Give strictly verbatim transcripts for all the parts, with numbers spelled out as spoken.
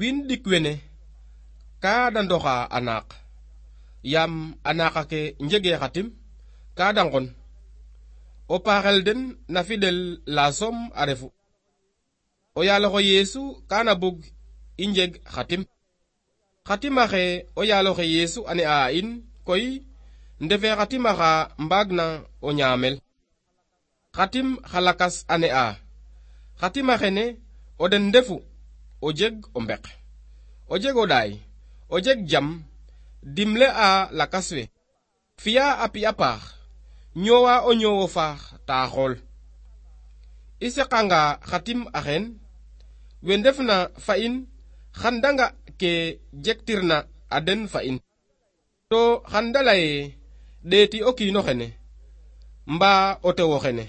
win dik wene ka da ndoxa anak yam anaka ke njege xatim ka da ngon o paxel den na fidel la som a refu o yaaloxo Yesu kana bug i njeg xatim xatimaxe o yaaloxe Yesu ane a in koy ndefe xatimaxa mbaagna o ñaamel xatim xalakas ane a xatimaxene o den ndefu o jeg o mbek o jeg o ɗaay o jeg jam dimle a lakas we fiya a pi'a paax ñoowa o ñoowo faax ta xool i seqanga xatim axen we ndefna fa in xan danga ke jektirna a den fa in to xan dalaye ɗeeti o kiino xene mbaa o tewo xene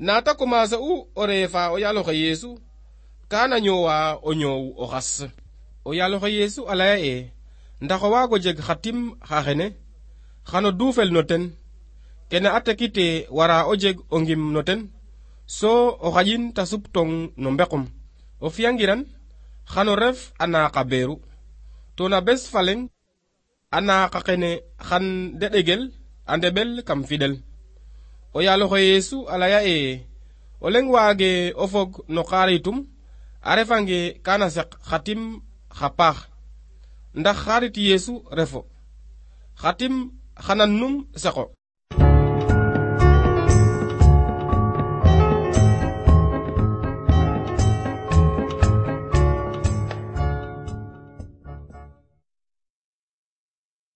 naata commencer u o reefa o yaaloxe Yesu kana ñoowa o ñoow o xas o yaaloxe Yesu a laya e ndax o waago jeg xatim xa xene xano duufel no ten kene a tekite wara o jeg o ngim no ten so o xaƴin ta suptong no mbekum o fiyangiran xano ref a naaqa beeru to na bes faleng a naaqa xene xan de ɗegel a ndeɓel kam fidel o yaaloxe Yesu a laya e o leng waage o fog no xaritum a refange kana seq xatim xa paax ndax xarit Yesu refo xatim xanan num seqo